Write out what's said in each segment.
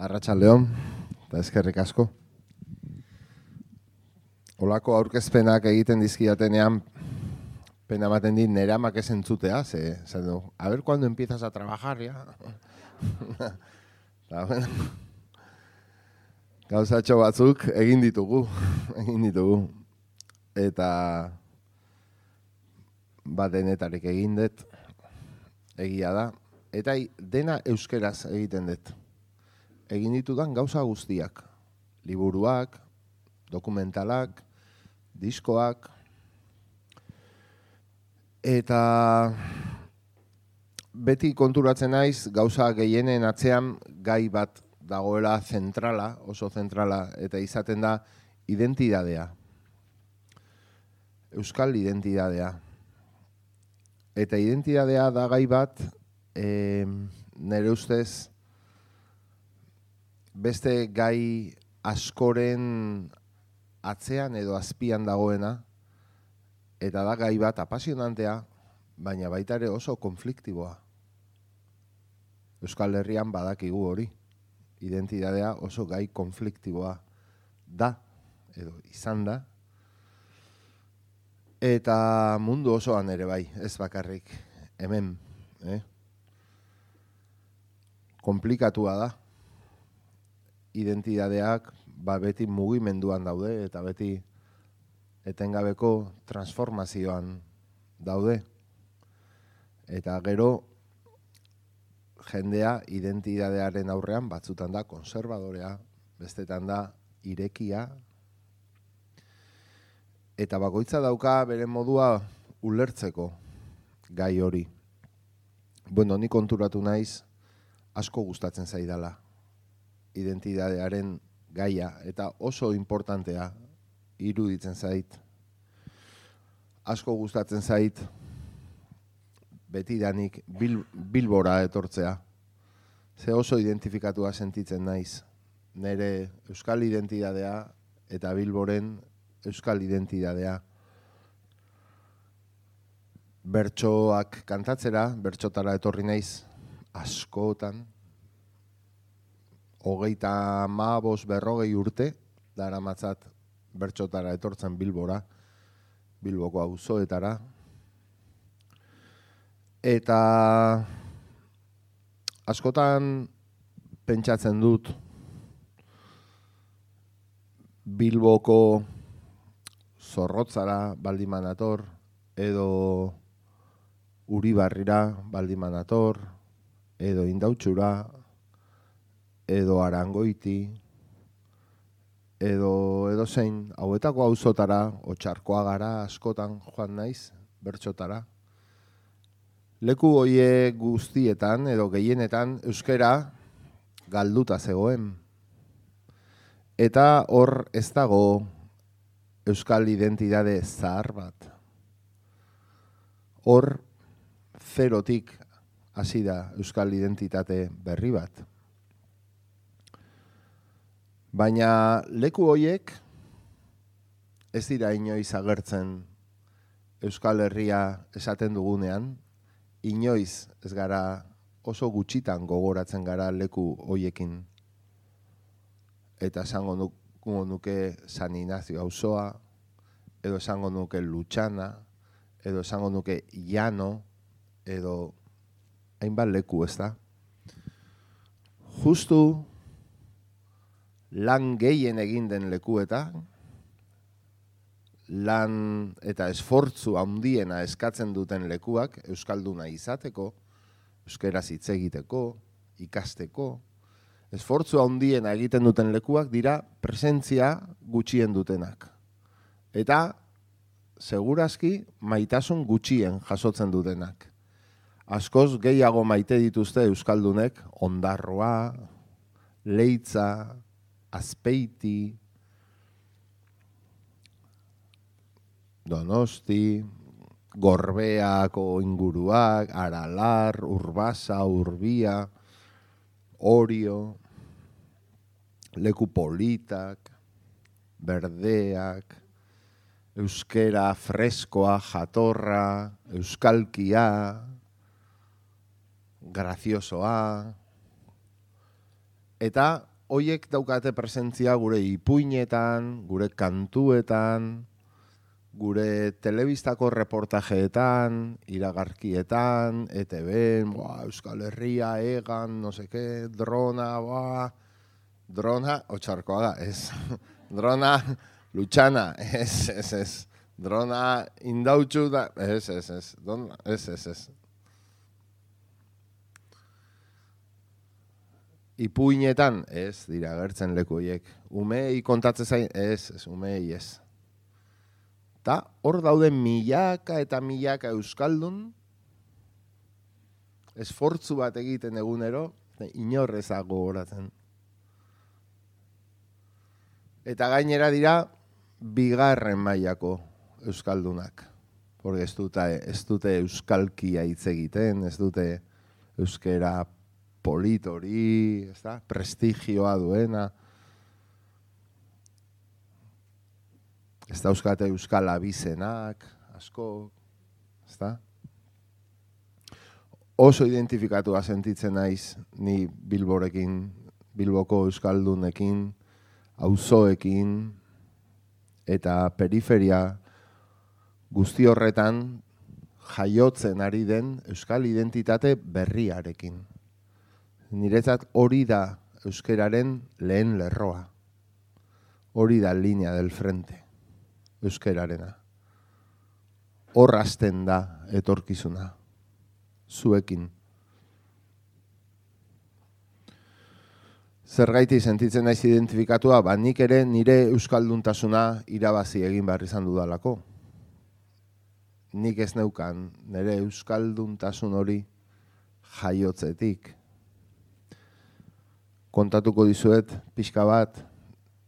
Arratsaldeon, eta eskerrik asko. Olako aurkezpenak egiten dizkidatenean pena ematen dit nere amak ez entzutea, esan du, a ver cuando empiezas a trabajar, ya. Gauzatxo batzuk egin ditugu. Eta denetarik egin dut, egia da. Eta dena euskeraz egiten dut. Egin ditudan gauza guztiak. Liburuak, dokumentalak, diskoak. Eta beti konturatzen naiz gauza gehienen atzean gai bat dagoela zentrala, oso zentrala, eta izaten da identidadea. Euskal identidadea. Eta identidadea da gai bat, nire ustez, beste gai askoren atzean edo azpian dagoena, eta da gai bat apasionantea, baina baita ere oso konfliktiboa. Euskal Herrian badakigu hori. Identidadea oso gai konfliktiboa da, edo izan da. Eta mundu osoan ere bai, ez bakarrik hemen. Komplikatua da. Identidadeak beti mugimenduan daude eta beti etengabeko transformazioan daude. Eta gero jendea identidadearen aurrean batzutan da konservadorea, bestetan da irekia. Eta bakoitza dauka bere modua ulertzeko gai hori. Bueno, ni konturatu naiz asko gustatzen zaidala identidadearen gaia eta oso importantea iruditzen zait. Asko gustatzen zait betidanik Bilbora etortzea. Ze oso identifikatua sentitzen naiz. Nere euskal identidadea eta Bilboren euskal identidadea. Bertsoak kantatzera, bertsotara etorri naiz askotan. 35-40 urte daramatzat bertsotara etortzen Bilbora, Bilboko auzoetara. Eta askotan pentsatzen dut Bilboko Zorrotzara baldimanator, edo Uribarrira baldimanator, edo Indautxura, edo Arangoiti, edo zein, hauetako auzotara, Otxarkoagara askotan joan naiz, bertxotara. Leku hoie guztietan, edo gehienetan, euskera galduta zegoen. Eta hor ez dago euskal identidade zahar bat. Hor zerotik hasi da euskal identitate berri bat. Baina leku hoiek ez dira inoiz agertzen Euskal Herria esaten dugunean, inoiz ez gara oso gutxitan gogoratzen gara leku hoiekin. Eta esango nuke San Ignacio auzoa, edo esango nuke Lutxana, edo esango nuke Llano, edo hainbat leku, ez da? Justu lan gehien egin den lekuetan, lan eta esfortzu handiena eskatzen duten lekuak euskalduna izateko, euskeraz hitz egiteko, ikasteko, esfortzu handiena egiten duten lekuak dira presentzia gutxien dutenak. Eta segurazki maitasun gutxien jasotzen dutenak. Askoz gehiago maite dituzte euskaldunek Ondarroa, Leitza, Azpeiti, Donosti, Gorbeako inguruak, Aralar, Urbasa, Urbia, Orio, leku politak, berdeak, euskera freskoa, jatorra, euskalkia, graziosoa, eta hoiek daukate presentzia gure ipuinetan, gure kantuetan, gure telebistako reportajeetan, iragarkietan, ETV-en, Euskal Herria, Egan, no seke, drona, drona, otxarkoa da, ez. Drona, Lutxana, ez. Drona, indautxu da, ez. Drona, ez. Ipuinetan, ez, dira, gertzen leku horiek. Umei kontatzen zain, ez, umei ez. Ta hor daude milaka eta milaka euskaldun, esfortzu bat egiten egunero, inorrezak gogoratzen. Eta gainera dira, bigarren mailako euskaldunak. Porque ez dute euskalkia hitz egiten, ez dute euskera politori, prestigioa duena. Ez dauzkate euskal abizenak, asko, ez da? Oso identifikatua sentitzen naiz ni Bilborekin, Bilboko euskaldunekin, auzoekin, eta periferia guzti horretan jaiotzen ari den euskal identitate berriarekin. Niretzat hori da euskeraren lehen lerroa. Hori da linea del frente. Euskerarena. Hor hasten da etorkizuna. Zuekin. Zergaiti sentitzen naiz identifikatua, nik ere nire euskalduntasuna irabazi egin behar izan dudalako. Nik ez neukan nire euskalduntasun hori jaiotzetik. Kontatuko dizuet pixka bat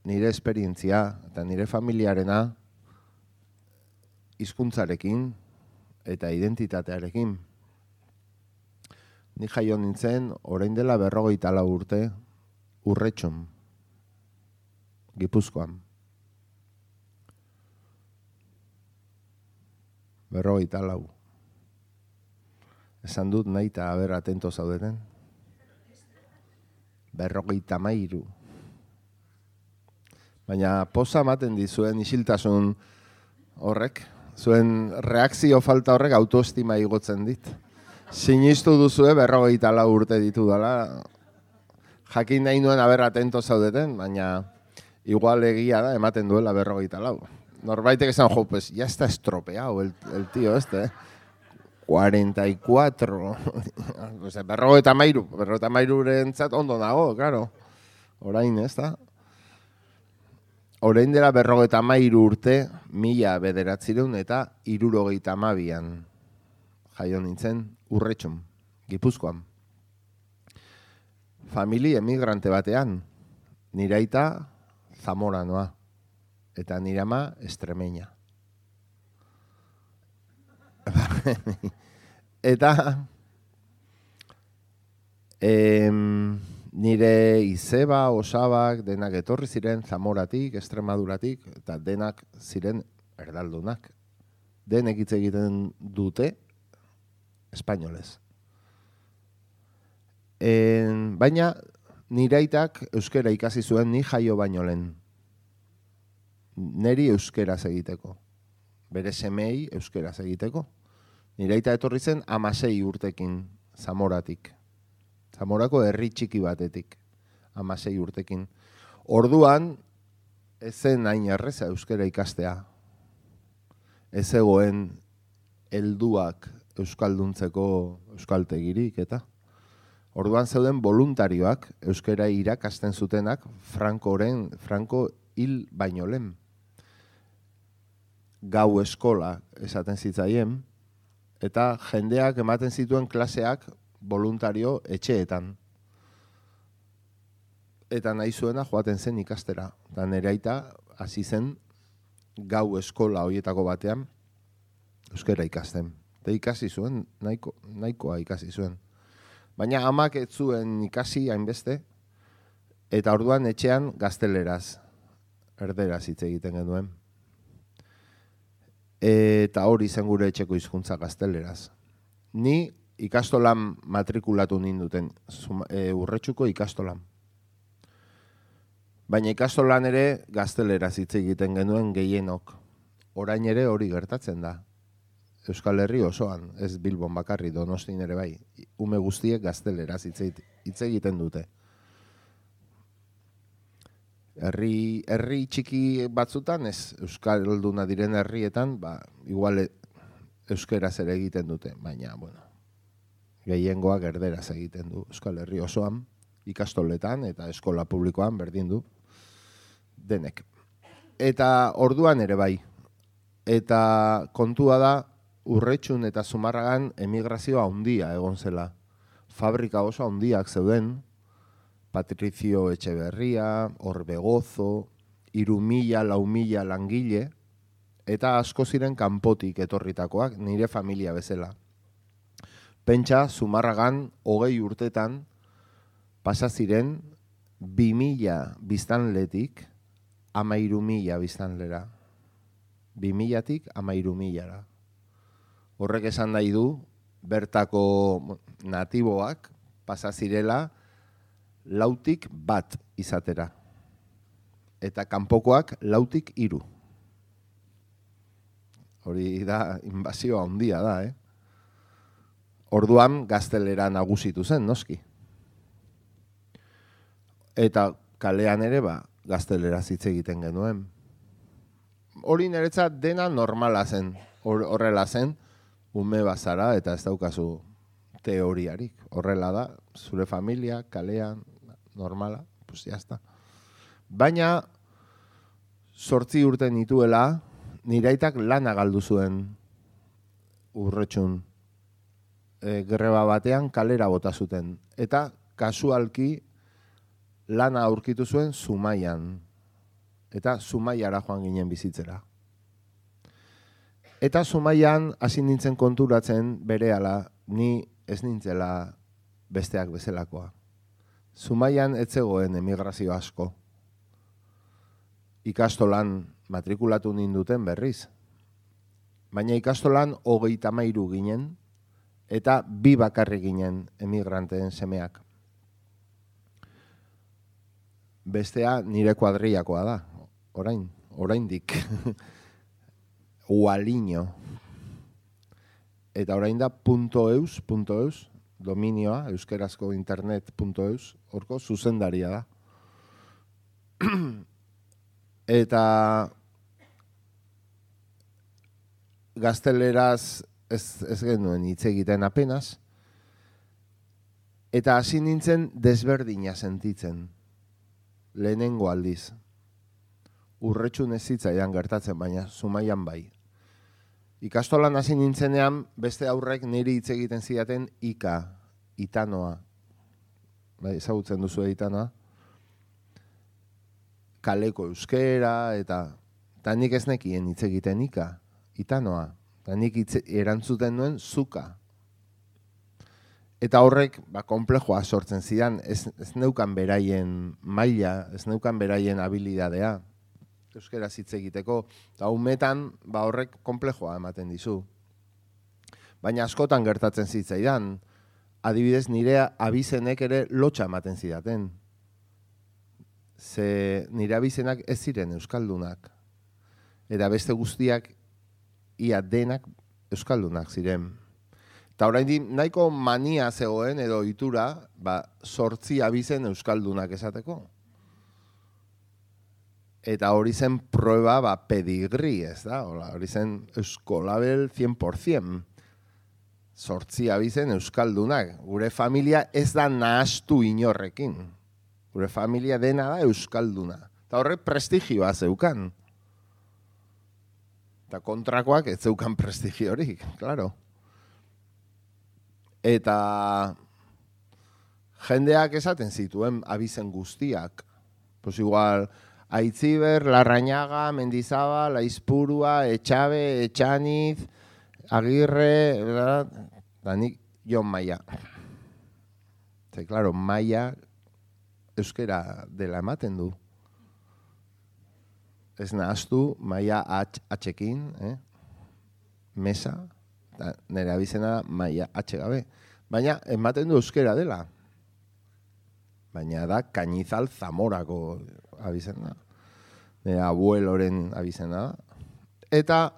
nire esperientzia eta nire familiarena hizkuntzarekin eta identitatearekin. Ni jaio nintzen orain dela 54 urte Urretxun, Gipuzkoan. 54. Esan dut nahi eta aber atento zaudeten. 53. Baina poza ematen dizuen isiltasun horrek, zuen reakzio falta horrek autoestima igotzen dit. Sinistu duzue 54 urte ditu dela. Jakin nahi nuen aber atento zaudeten, baina igual egia da ematen duela 54. Norbaitek esan, pues ya está estropeado el tío este, 44. Pues 53 rentzat ondo nago, claro. Orain, ez da? Orain dela 53 urte, 1962 eta 72an jaio nintzen Urretxun, Gipuzkoan. Famili emigrante batean, nire aita zamoranoa, eta nire ama estremeña. Eta nire izeba, osabak, denak etorri ziren Zamoratik, Estremaduratik, eta denak ziren erdaldunak. Denek hitz egiten dute espainolez. Baina nire aitak euskera ikasi zuen ni jaio baino lehen. Neri euskera egiteko. Bere semei euskera egiteko. Nire aita etorri zen 16 urtekin Zamoratik. Zamorako herri txiki batetik. 16 urtekin. Orduan, ez zen hain erreza euskera ikastea. Ez egoen helduak euskalduntzeko euskaltegirik eta. Orduan zeuden voluntarioak euskera irakasten zutenak Franco hil baino lehen. Gau eskola esaten zitzaien, eta jendeak ematen zituen klaseak voluntario etxeetan. Eta nahi zuena joaten zen ikastera. Eta nire aita hasi zen gau eskola horietako batean euskera ikasten. Eta ikasi zuen, nahikoa ikasi zuen. Baina amak ez zuen ikasi hainbeste, eta orduan etxean gazteleraz, erderaz hitz egiten genuen. Eta hori zen gure etxeko hizkuntza gazteleraz. Ni ikastolan matrikulatu ninduten, Urretxuko ikastolan. Baina ikastolan ere gazteleraz hitz egiten genuen gehienok. Orain ere hori gertatzen da. Euskal Herri osoan, ez Bilbon bakarri, Donostin ere bai. Ume guztiek gazteleraz hitz egiten dute. Herri txiki batzutan, ez euskalduna diren herrietan, igual euskeraz ere egiten dute, baina, bueno, gehiengoak erderaz egiten du Euskal Herri osoan, ikastoletan eta eskola publikoan berdin du denek. Eta orduan ere bai. Eta kontua da, Urretxun eta Zumarragan emigrazioa handia egon zela. Fabrika oso handiak zeuden, Patricio Etxeberria, Orbegozo, 3.000, 4.000 langile, eta asko ziren kanpotik etorritakoak, nire familia bezala. Pentsa, Zumarragan 20 urtetan pasa ziren 2.000 biztanletik 13.000 biztanlera. 2.000tik 13.000ra. Horrek esan nahi du, bertako natiboak pasa zirela 4tik 1 izatera. Eta kanpokoak 4tik 3. Hori da, inbazioa handia da, Orduan gaztelera nagusitu zen, noski. Eta kalean ere, gaztelera hitz egiten genuen. Hori niretzat dena normala zen, horrela zen, ume bazara eta ez daukazu teoriarik. Horrela da, zure familia, kalean, normala, pues jazta. Baina, 8 urte nituela, nire aitak lana galdu zuen Urretxun. Greba batean kalera bota zuten. Eta kasualki lana aurkitu zuen Zumaian. Eta Zumaiara joan ginen bizitzera. Eta Zumaian hasi nintzen konturatzen berehala, ni ez nintzela besteak bezalakoa. Zumaian ez zegoen emigrazio asko. Ikastolan matrikulatu ninduten berriz. Baina ikastolan 33 ginen, eta 2 bakarrik ginen emigranteen semeak. Bestea nire kuadrillakoa da, oraindik. Ualiño. Eta orain da .eus, dominioa, euskerazko internet.eus, horko zuzendaria da. Eta gazteleraz ez genuen hitz egiten apenas, eta hasi nintzen desberdina sentitzen, lehenengo aldiz. Urretxun ez zitzaidan gertatzen, baina Zumaian bai. Ikastolan hasi nintzenean, beste aurrek niri hitz egiten zidaten Itanoa. Bai, ezagutzen duzu Itanoa? Kaleko euskera, eta nik ez nekien hitz egiten Itanoa. Eta nik erantzuten nuen zuka. Eta horrek, konplexoa sortzen zidan, ez neukan beraien maila, ez neukan beraien habilidadea, euskeraz hitz egiteko, eta umetan horrek konplexoa ematen dizu. Baina askotan gertatzen zitzaidan, adibidez nire abizenek ere lotxa ematen zidaten. Ze nire abizenak ez ziren euskaldunak. Eta beste guztiak ia denak euskaldunak ziren. Eta oraindik nahiko mania zegoen edo ohitura, 8 abizen euskaldunak esateko. Eta hori zen prueba pedigri, ez da? Hori zen euskolabel 100%. 8 abizen euskaldunak. Gure familia ez da nahastu inorrekin. Gure familia dena da euskalduna. Eta horrek prestigioa zeukan. Eta kontrakoak ez zeukan prestigiorik, klaro. Eta jendeak esaten zituen abizen guztiak. Pues igual, Aitziber, Larrañaga, Mendizabal, Aizpurua, Etxabe, Etxaniz, Agirre, da nik Jon Maia. Eta, klaro, Maia euskera dela ematen du. Ez nahaztu, Maia atxekin, mesa, nire abizena Maia atxegabe. Baina, ematen du euskera dela. Baina da Cañizal Zamorako abizena. Nire abueloren abizena da. Eta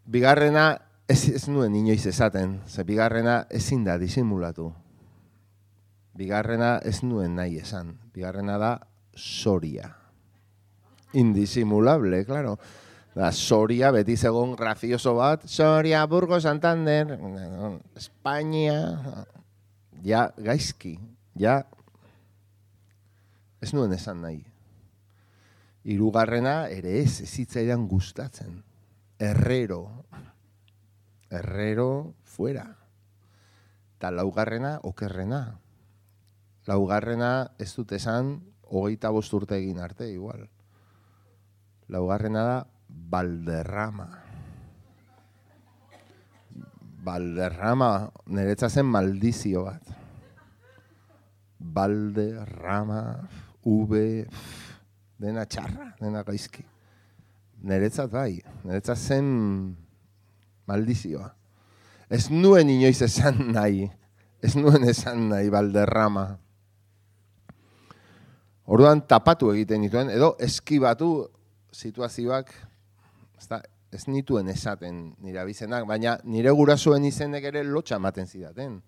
bigarrena ez nuen inoiz esaten, ze bigarrena ezin da disimulatu. Bigarrena ez nuen nahi esan. Bigarrena da Soria. Indisimulable, claro. Da, Soria, beti zegoen gracioso bat, Soria, Burgos, Santander, Espainia, ja, gaizki, ja, ez nuen esan nahi. Hirugarrena ere ez zitzaidan gustatzen. Herrero, fuera. Eta laugarrena, okerrena. Laugarrena ez dut esan, 25 urte egin arte, igual. Laugarrena da, Valderrama. Valderrama, niretza zen maldizio bat. Valderrama, dena txarra, dena gaizki. Niretzat bai, niretzat zen maldizioa. Ez nuen inoiz esan nahi, Valderrama. Orduan tapatu egiten dituen, edo eskibatu situazioak, ez nituen esaten nire abizenak, baina nire gurasoen izenek ere lotxa ematen zidaten.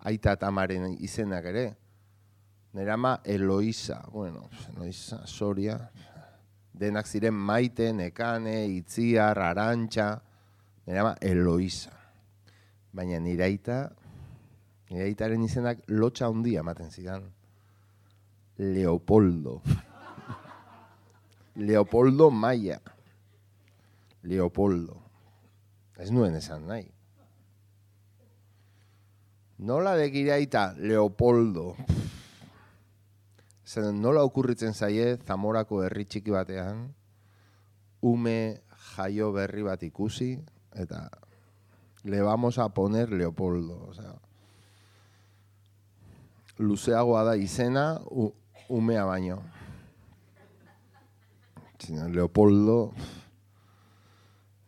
Aita eta amaren izenak ere. Nire ama Eloisa, Eloisa, Soria, denak ziren Maite, Nekane, Itziar, Arantxa, nire ama Eloisa. Baina nire aitaren izenak lotxa handia ematen zidan. Leopoldo. Leopoldo Maia. Leopoldo. Ez nuen esan nahi. Nola begira aita Leopoldo. Zer, nola okurritzen zaie Zamorako herri txiki batean, ume jaio berri bat ikusi, eta le vamos a poner Leopoldo. O sea, luzeagoa da izena, umea baino. Leopoldo,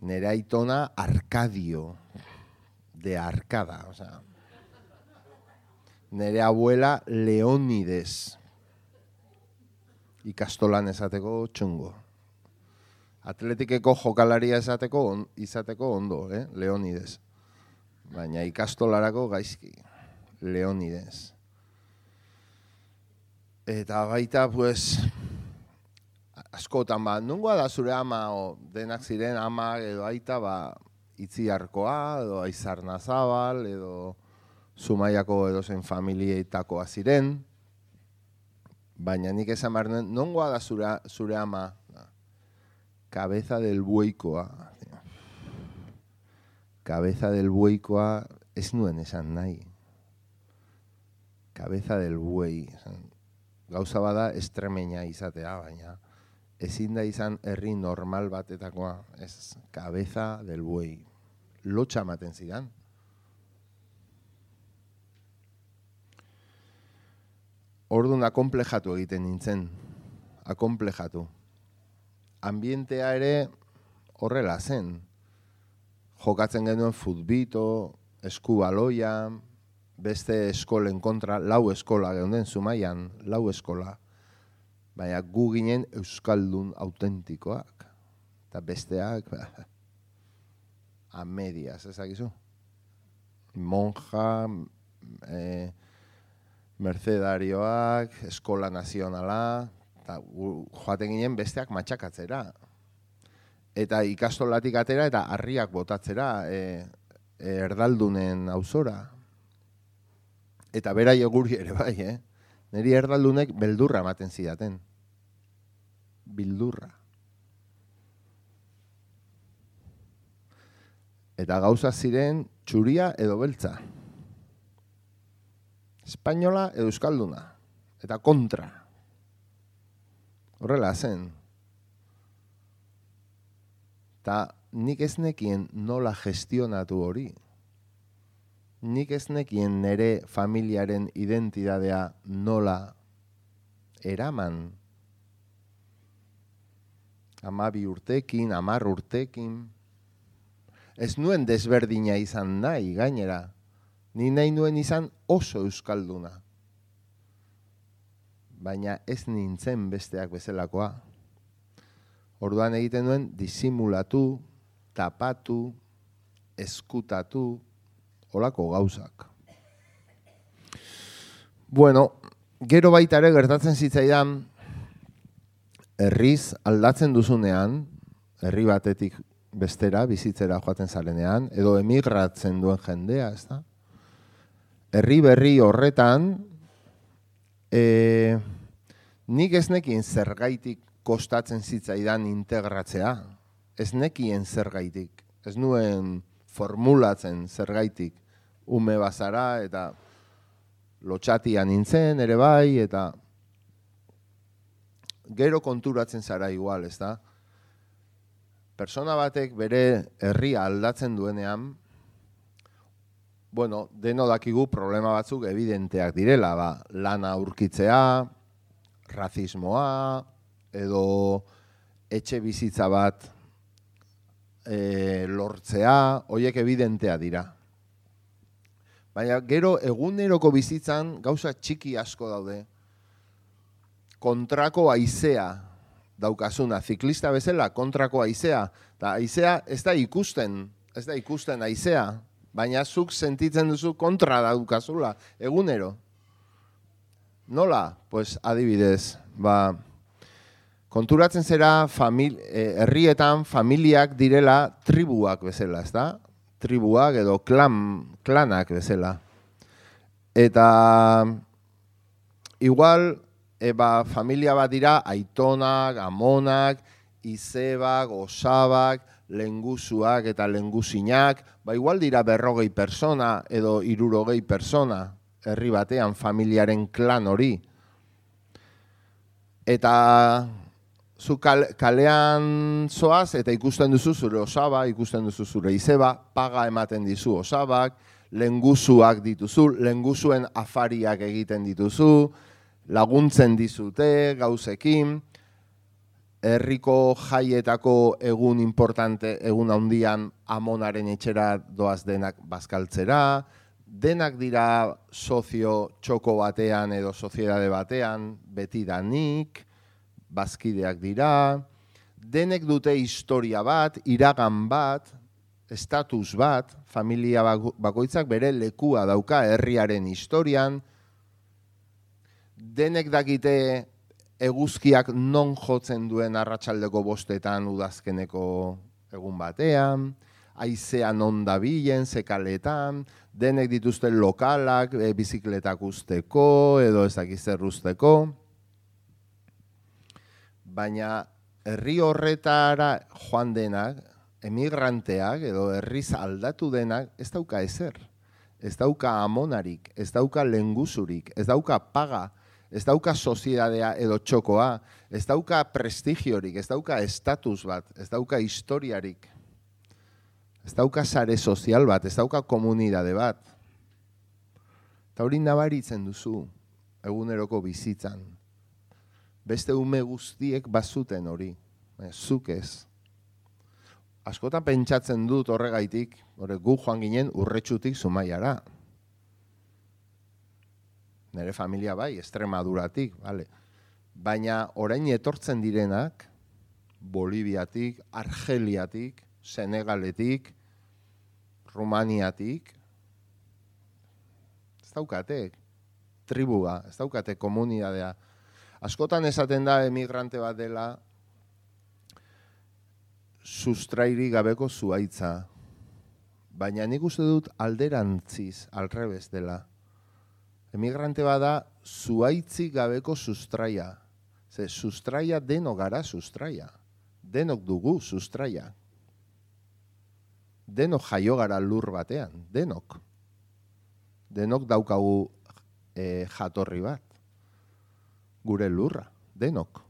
nere aitona Arcadio, de Arcada. O sea, nere abuela Leónides, ikastolan esateko txungo. Atletikeko jokalaria izateko ondo, Leónides. Baina ikastolarako gaizki, Leónides. Eta baita, pues, askotan, nungoa da zure ama, o denak ziren ama edo aita, Itziarkoa, edo Aizarnazabal, edo Zumaiako edozen familietakoa ziren. Baina nik esan behar nuen, nongoa da zure ama, Cabeza del Bueikoa. Cabeza del Bueikoa ez nuen esan nahi. Cabeza del Buei. Gauza bada estremeña izatea, baina ezin da izan herri normal batetakoa. Ez, Cabeza del Buei. Lotxa ematen zidan. Orduan akonplejatu egiten nintzen. Akonplejatu. Ambientea ere horrela zen. Jokatzen genuen futbito, eskubaloia, beste eskolen kontra, 4 eskola geunden Zumaian, 4 eskola. Baina gu ginen euskaldun autentikoak. Eta besteak, a medias, ezakizu. Monja, mercedarioak, eskola nazionala, eta joaten ginen besteak matxakatzera. Eta ikastolatik atera eta harriak botatzera erdaldunen auzora. Eta berai guri ere bai, Neri erdaldunek beldurra ematen zidaten. Bildurra. Eta gauza ziren txuria edo beltza. Espainola edo euskalduna. Eta kontra. Horrela zen. Eta nik ez nekien nola gestionatu hori. Nik ez nekien nere familiaren identidadea nola eraman. 12 urtekin, 10 urtekin. Ez nuen desberdina izan nahi, gainera. Ni nahi nuen izan oso euskalduna. baina ez nintzen besteak bezalakoa. Orduan egiten duen disimulatu, tapatu, eskutatu, holako gauzak. Bueno, gero baita ere gertatzen zitzaidan, herriz aldatzen duzunean, herri batetik bestera, bizitzera joaten zarenean, edo emigratzen duen jendea, ez da? Herri berri horretan, nik ez nekien zergaitik kostatzen zitzaidan integratzea. Ez nekien zergaitik. Ez nuen formulatzen zergaitik. Ume bazara eta lotxatian nintzen ere bai, eta gero konturatzen zara igual, ez da? Persona batek bere herria aldatzen duenean, bueno, deno dakigu problema batzuk evidenteak direla, lana aurkitzea, razismoa, edo etxe bizitza bat lortzea, horiek evidentea dira. Baina gero eguneroko bizitzan gauza txiki asko daude. Kontrako haizea daukazuna, ziklista bezala kontrako haizea. Eta haizea ez da ikusten haizea, baina zuk sentitzen duzu kontra daukazula, egunero. Nola? Pues adibidez, konturatzen zera herrietan familiak direla tribuak bezala, ez da? Tribuak edo klanak bezala. Eta igual, familia bat dira aitonak, amonak, izebak, osabak, lengusuak eta lengusinak, igual dira 40 persona edo 60 persona herri batean familiaren klan hori. Eta zu kalean zoaz eta ikusten duzu zure osaba, ikusten duzu zure izeba, paga ematen dizu osabak, lengusuak dituzu, lengusuen afariak egiten dituzu, laguntzen dizute gauzekin, herriko jaietako egun importante, egun handian amonaren etxera doaz denak bazkaltzera, denak dira sozio txoko batean edo soziedade batean, beti danik, bazkideak dira, denek dute historia bat, iragan bat, estatus bat, familia bakoitzak bere lekua dauka herriaren historian, denek dakite eguzkiak non jotzen duen arratsaldeko 5 udazkeneko egun batean, haizea non dabilen, zekaletan, denek dituzte lokalak, bizikletak usteko edo ez dakiz zer usteko. Baina herri horretara joan denak, emigranteak edo herriz aldatu denak ez dauka ezer. Ez dauka amonarik, ez dauka lengusurik, ez dauka paga, ez dauka soziedadea edo txokoa, ez dauka prestigiorik, ez dauka estatus bat, ez dauka historiarik, ez dauka sare sozial bat, ez dauka komunidade bat. Eta hori nabaritzen duzu eguneroko bizitzan. Beste ume guztiek bazuten hori, zuk ez. Askotan pentsatzen dut horregaitik, gu joan ginen Urretxutik Zumaiara. Nere familia bai, Extremaduratik, vale. Baina orain etortzen direnak, Boliviatik, Argeliatik, Senegaletik, Rumaniatik, ez daukate tribua, ez daukate komunidadea. Askotan esaten da emigrante bat dela sustrairi gabeko zuhaitza. Baina nik uste dut alderantziz, alrebez dela. Emigrante bat da zuhaitzik gabeko sustraia. Ze sustraia denok gara sustraia. Denok dugu sustraia. Denok jaio gara lur batean, denok. Denok daukagu jatorri bat. Gure lurra, denok.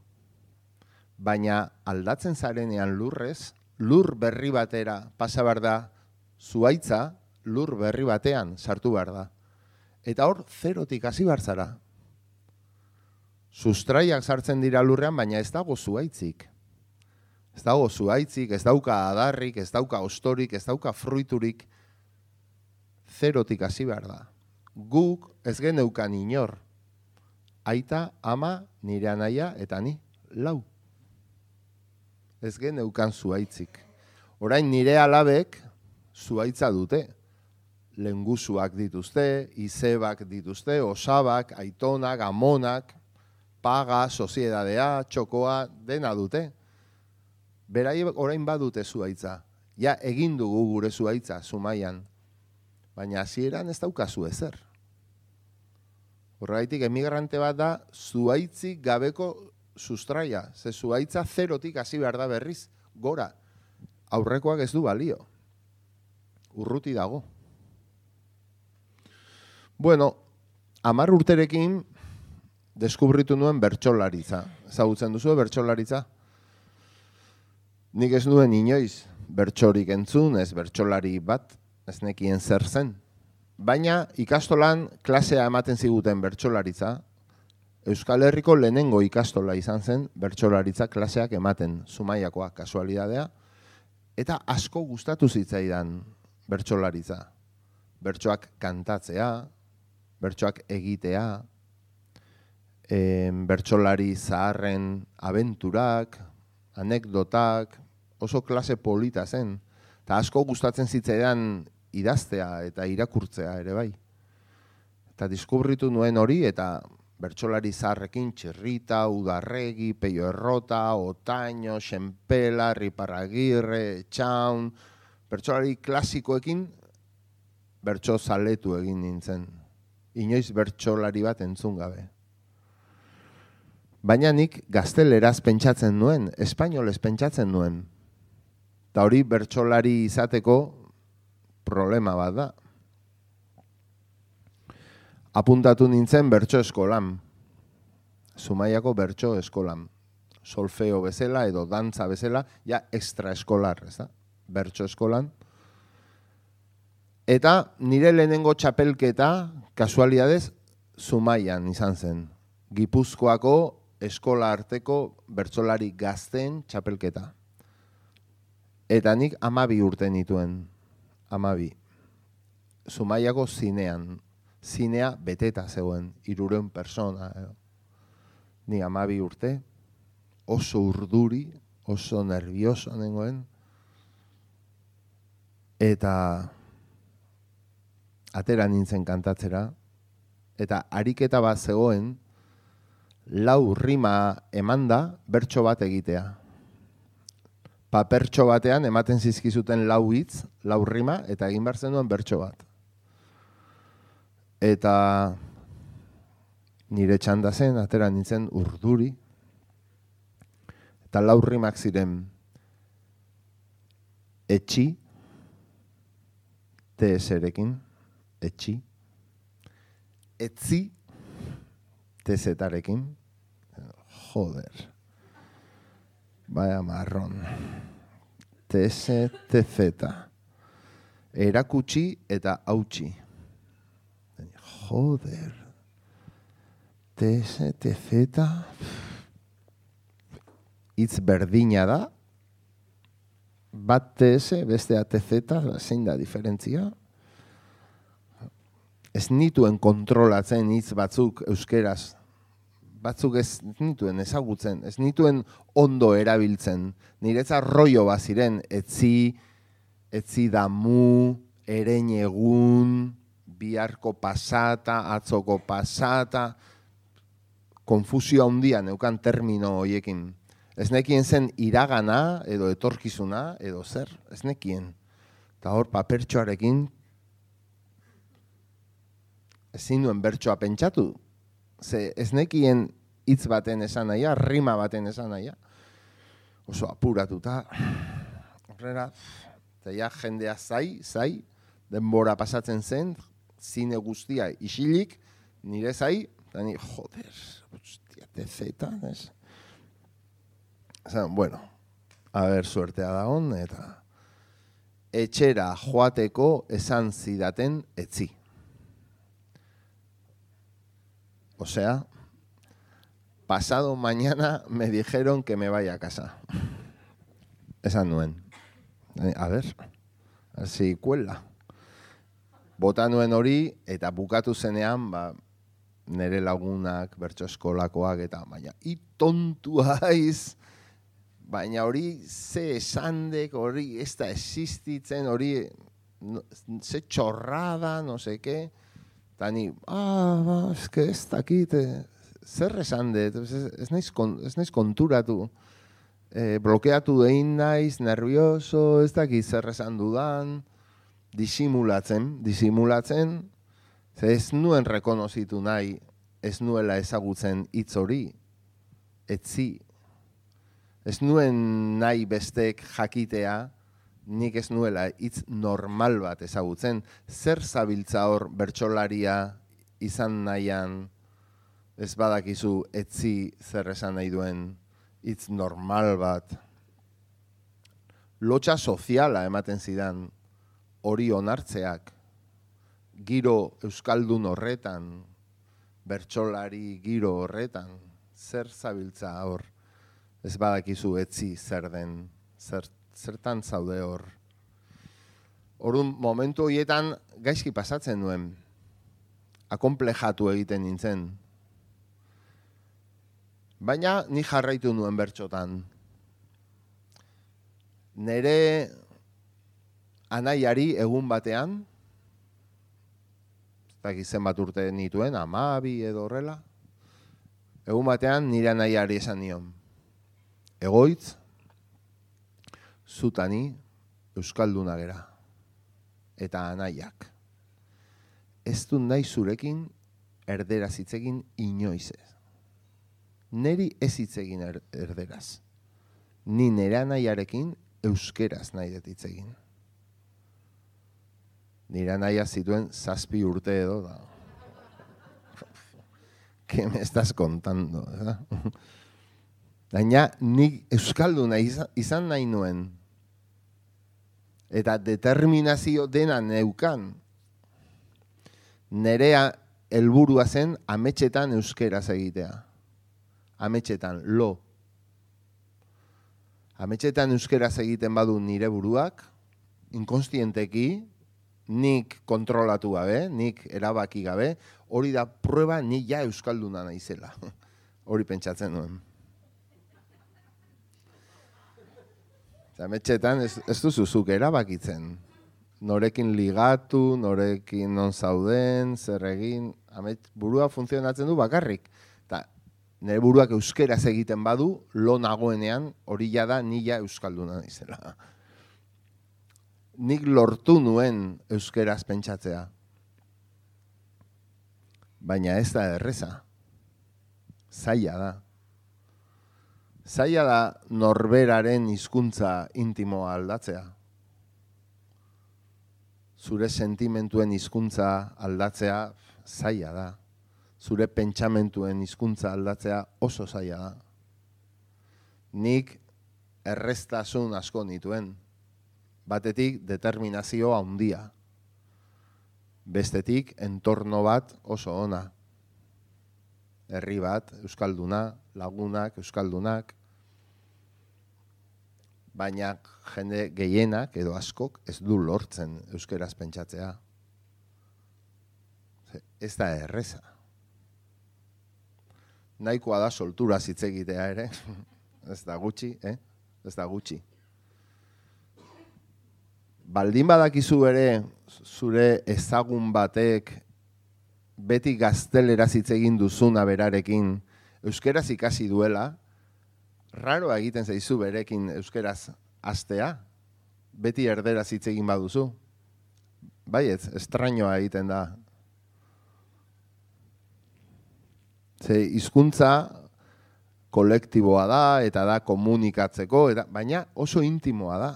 Baina aldatzen zarenean lurrez, lur berri batera pasa behar da, zuhaitza lur berri batean sartu behar da. Eta hor, zerotik hasi behar zara. Sustraiak sartzen dira lurrean, baina ez dago zuhaitzik. Ez dago zuhaitzik, ez dauka adarrik, ez dauka ostorik, ez dauka fruiturik. Zerotik hasi behar da. Guk ez geneukan inor. aita, ama, nire anaia, eta ni, 4. Ez geneukan zuaitzik. Orain nire alabek zuaitza dute. Lengusuak dituzte, izebak dituzte, osabak, aitonak, amonak, paga, soziedadea, txokoa, dena dute. Berai orain badute zuaitza. Ja, egin dugu gure zuaitza, Zumaian. Baina hasieran ez daukazu ezer. Horregaitik emigrante bat da, zuaitzik gabeko sustraia. Ze zuaitza 0tik hasi behar da berriz, gora. Aurrekoak ez du balio. Urruti dago. Bueno, 10 urterekin deskubritu nuen bertsolaritza. Ezagutzen duzu bertsolaritza? Nik ez nuen inoiz bertsorik entzun, ez bertsolari bat, ez nekien zer zen. Baina ikastolan klasea ematen ziguten bertsolaritza, Euskal Herriko lehenengo ikastola izan zen bertsolaritza klaseak ematen, Zumaiakoa, kasualidadea, eta asko gustatu zitzaidan bertsolaritza. Bertsoak kantatzea, bertsoak egitea, bertsolari zaharren abenturak, anekdotak, oso klase polita zen. Eta asko gustatzen zitzaidan idaztea eta irakurtzea ere bai. Eta deskubritu nuen hori eta bertsolari zaharrekin Txirrita, Udarregi, Peio Errota, Otaño, Xenpela, Riparragirre, Etxaun, bertsolari klasikoekin bertso zaletu egin nintzen. Inoiz bertsolari bat entzun gabe. Baina nik gazteleraz pentsatzen nuen, espainolez pentsatzen nuen. Eta hori bertsolari izateko problema bat da. Apuntatu nintzen bertso eskolan. Zumaiako bertso eskolan. Solfeo bezala edo dantza bezala, ja extraeskolar, ez da? Bertso eskolan. Eta nire lehenengo txapelketa, kasualidadez, Zumaian izan zen. Gipuzkoako eskola arteko bertsolari gazteen txapelketa. Eta nik 12 urte nituen. 12. Zumaiako zinean. Zinea beteta zegoen, 300 persona. Ni 12 urte, oso urduri, oso nervioso nengoen. Eta atera nintzen kantatzera. Eta ariketa bat zegoen, 4 rima emanda bertso bat egitea. Papertxo batean ematen zizkizuten 4 hitz, 4 rima, eta egin behar zenuen bertso bat. Eta nire txanda zen, atera nintzen urduri. Eta 4 rimak ziren etxi, TS-erekin, etxi, etzi, TZ-arekin, joder, vaya marrón, TS, TZ, erakutsi eta hautsi, joder, TS, TZ, hitz berdina da, bat TS, bestea TZ, zein da diferentzia? Ez nituen kontrolatzen hitz batzuk euskeraz, batzuk ez nituen ezagutzen, ez nituen ondo erabiltzen. Niretzat rollo baziren, etzi damu, erein egun, biharko pasata, atzoko pasata, konfusio handia neukan termino horiekin. Ez nekien zen iragana, edo etorkizuna, edo zer, ez nekien. Eta hor papertxoarekin, ezin duen bertsoa pentsatu. Ze ez nekien hitz baten esan nahia, rima baten esan nahia. Oso apuratuta, horrela, eta ja jendea zai, denbora pasatzen zen, zine guztia isilik, nire zai, eta ni, joder, hostia, TZ, ez? Bueno, a ver, suertea da hon, eta etxera joateko esan zidaten etzi. O sea, pasado mañana me dijeron que me vaya a casa. Esan nuen. A ver si cuela. Bota nuen hori, eta bukatu zenean, nire lagunak, bertso eskolakoak, eta baina, tontua haiz, baina hori ze esandek, hori ez da existitzen, hori ze txorrada, no seke, eta ni, eske ez dakit, zer esandet, ez naiz konturatu, blokeatu egin naiz, nervioso, ez dakit zer esan dudan, disimulatzen, ze ez nuen rekonozitu nahi, ez nuela ezagutzen hitz hori, etzi. Ez nuen nahi bestek jakitea, nik ez nuela hitz normal bat ezagutzen. Zer zabiltza hor bertsolaria izan nahian, ez badakizu etzi zer esan nahi duen hitz normal bat. Lotxa soziala ematen zidan, hori onartzeak, giro euskaldun horretan, bertsolari giro horretan, zer zabiltza hor, ez badakizu etzi zer den, zertan zaude hor. Orduan momentu horietan gaizki pasatzen nuen, akonplejatu egiten nintzen. Baina ni jarraitu nuen bertsotan. Nere anaiari egun batean, zenbat urte nituen, 12 edo horrela. Egun batean nire anaiari esan nion. Egoitz, zutani euskalduna gera. Eta anaiak. Ez du nahi zurekin erderaz hitzegin inoiz ez. Neri ez hitzegin erderaz. Ni nire anaiarekin euskeraz nahi dut hitzegin. Nire anaia zituen 7 urte edo da. ¿Qué me estás contando? Baina nik euskalduna izan nahi nuen. Eta determinazio dena neukan. Nerea helburua zen ametsetan euskeraz egitea. Ametsetan, lo. Ametsetan euskeraz egiten badu nire buruak, inkonstienteki, nik kontrolatu gabe, nik erabaki gabe, hori da prueba ni ja euskalduna naizela. Hori pentsatzen nuen. Ametsetan ez duzuzuk erabakitzen. Norekin ligatu, norekin non zauden, zer egin, burua funtzionatzen du bakarrik. Eta nire buruak euskeraz egiten badu, lo nagoenean hori da ni ja euskalduna naizela. Nik lortu nuen euskeraz pentsatzea. Baina ez da erreza. Zaila da. Zaila da norberaren hizkuntza intimoa aldatzea. Zure sentimentuen hizkuntza aldatzea zaila da. Zure pentsamentuen hizkuntza aldatzea oso zaila da. Nik erreztasun asko nituen. Batetik determinazio handia. Bestetik entorno bat oso ona. Herri bat, euskalduna, lagunak, euskaldunak. Baina jende gehienak edo askok ez du lortzen euskeraz pentsatzea. Ez da erreza. Nahikoa da soltura hitz egitea ere. Ez da gutxi, Ez da gutxi. Baldin badakizu ere zure ezagun batek beti gazteleraz hitz egin duzuna berarekin euskeraz ikasi duela, raroa egiten zaizu berekin euskeraz hastea, beti erderaz hitz egin baduzu. Baietz, estrañoa egiten da. Ze hizkuntza kolektiboa da eta da komunikatzeko, baina oso intimoa da.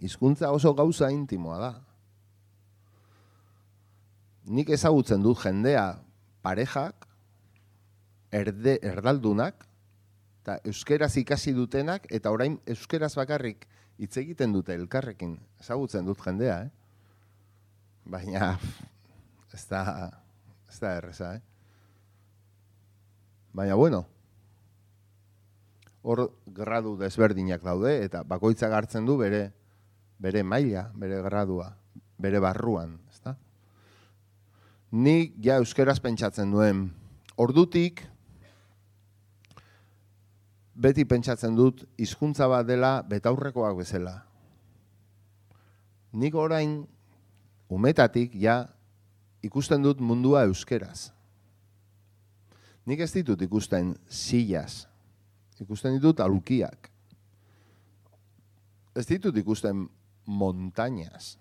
Hizkuntza oso gauza intimoa da. Nik ezagutzen dut jendea, parejak, erdaldunak, eta euskeraz ikasi dutenak, eta orain euskeraz bakarrik hitz egiten dute elkarrekin. Ezagutzen dut jendea, Baina ez da erreza, Baina bueno, hor gradu desberdinak daude, eta bakoitzak hartzen du bere maila, bere gradua, bere barruan, ezta? Nik ja euskeraz pentsatzen duen. Ordutik, beti pentsatzen dut hizkuntza bat dela betaurrekoak bezala. Nik orain, umetatik, ja, ikusten dut mundua euskeraz. Nik ez ditut ikusten sillas, ikusten ditut aulkiak. Ez ditut ikusten montañas.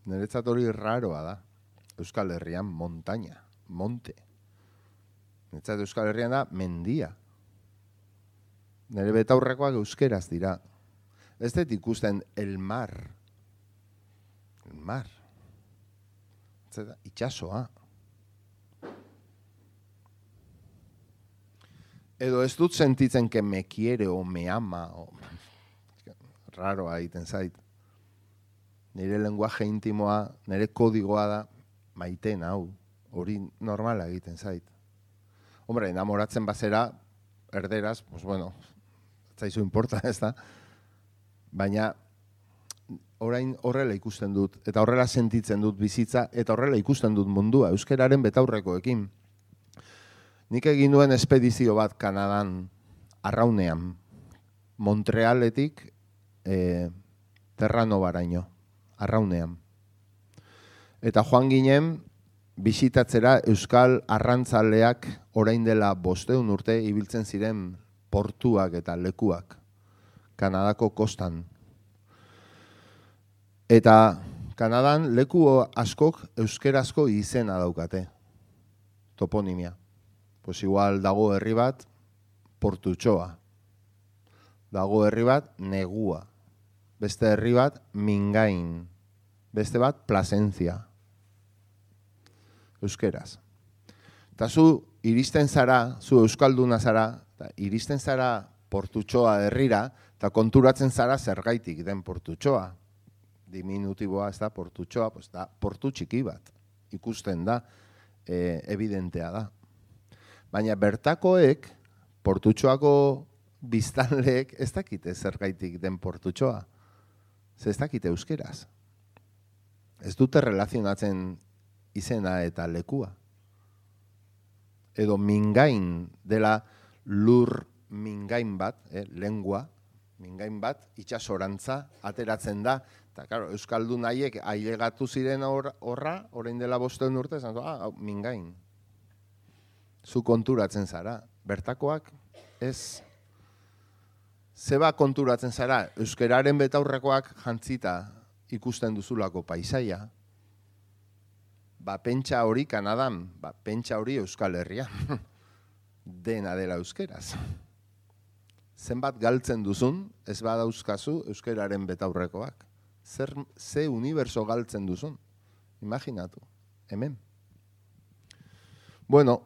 Niretzat hori raroa da. Euskal Herrian montaña, monte. Niretzat Euskal Herrian da mendia. Nire betaurrekoak euskeraz dira. Ez dut ikusten el mar. El mar. Itxasoa. Edo ez dut sentitzen que me quiere o me ama. Raroa egiten zait. Nire lenguaje intimoa, nire kodigoa da maiten hau. Hori normala egiten zait. Hombre, enamoratzen bazera, erderaz, pues bueno, zaizu importa, ez da? Baina, orain horrela ikusten dut, eta horrela sentitzen dut bizitza, eta horrela ikusten dut mundua, euskeraren betaurrekoekin. Nik egin duen espedizio bat Kanadan, arraunean, Montrealetik Terranobaraino, arraunean. Eta joan ginen, bisitatzera euskal arrantzaleak orain dela 500 urte ibiltzen ziren portuak eta lekuak, Kanadako kostan. Eta Kanadan leku askok euskerazko izena daukate, toponimia. Pues igual dago herri bat, Portutxoa. Dago herri bat, Negua. Beste herri bat, Mingain. Beste bat, Plasencia. Euskeraz. Eta zu iristen zara, zu euskalduna zara, iristen zara Portutxoa herrira, eta konturatzen zara zergaitik den Portutxoa. Diminutiboa ez da Portutxoa, pues da portu txiki bat. Ikusten da, evidentea da. Baina bertakoek, Portutxoako biztanleek ez dakite zergaitik den Portutxoa. Ez dakite euskeraz. Ez dute relazionatzen izena eta lekua. Edo Mingain dela lur mingain bat, lengua, mingain bat, itxasorantza ateratzen da. Eta, claro, euskaldun haiek ailegatu ziren horra, orain dela 500 urte, esan Mingain. Zu konturatzen zara, bertakoak ez. Zeba konturatzen zara, euskeraren betaurrekoak jantzita ikusten duzulako paisaia. Ba, pentsa hori Kanadan, ba, pentsa hori Euskal Herria. Dena dela euskeraz. Zenbat galtzen duzun, ez badauzkazu euskeraren betaurrekoak. Ze uniberso galtzen duzun. Imaginatu, hemen. Bueno,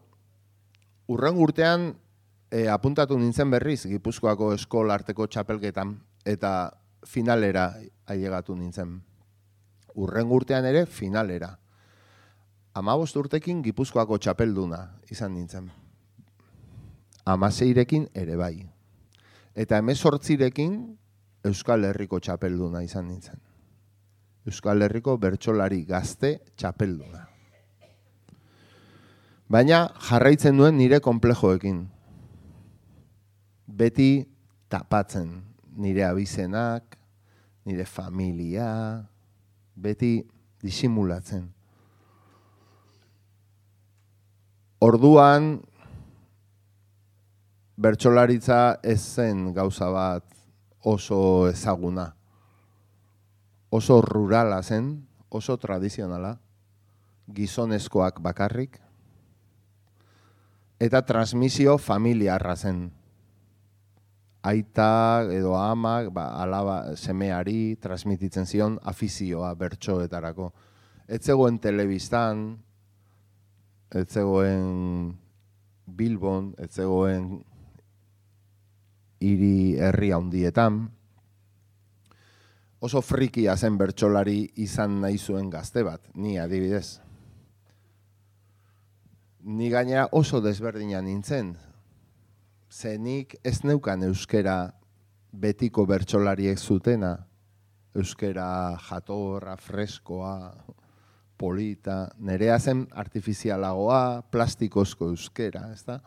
urren urtean apuntatu nintzen berriz Gipuzkoako eskola arteko txapelketan eta finalera ailegatu nintzen. Urren urtean ere finalera. 15 urtekin Gipuzkoako txapelduna izan nintzen. 16rekin ere bai. Eta 18rekin Euskal Herriko txapelduna izan nintzen. Euskal Herriko bertsolari gazte txapelduna. Baina jarraitzen duen nire konplejoekin. Beti tapatzen nire abizenak, nire familia, beti disimulatzen. Orduan, bertsolaritza ez zen gauza bat oso ezaguna. Oso rurala zen, oso tradizionala, gizonezkoak bakarrik, eta transmisio familiarra zen. Aita edo amak, alaba semeari transmititzen zion afizioa bertsoetarako. Ez zegoen telebistan, ez zegoen Bilbon, ez zegoen hiri herri handietan. Oso frikia zen bertsolari izan nahi zuen gazte bat, ni adibidez. Ni gainera oso desberdina nintzen. Zenik ez neukan euskera betiko bertsolariek zutena. Euskera jatorra, freskoa, polita, nerea zen artifizialagoa, plastikozko euskera, ez da?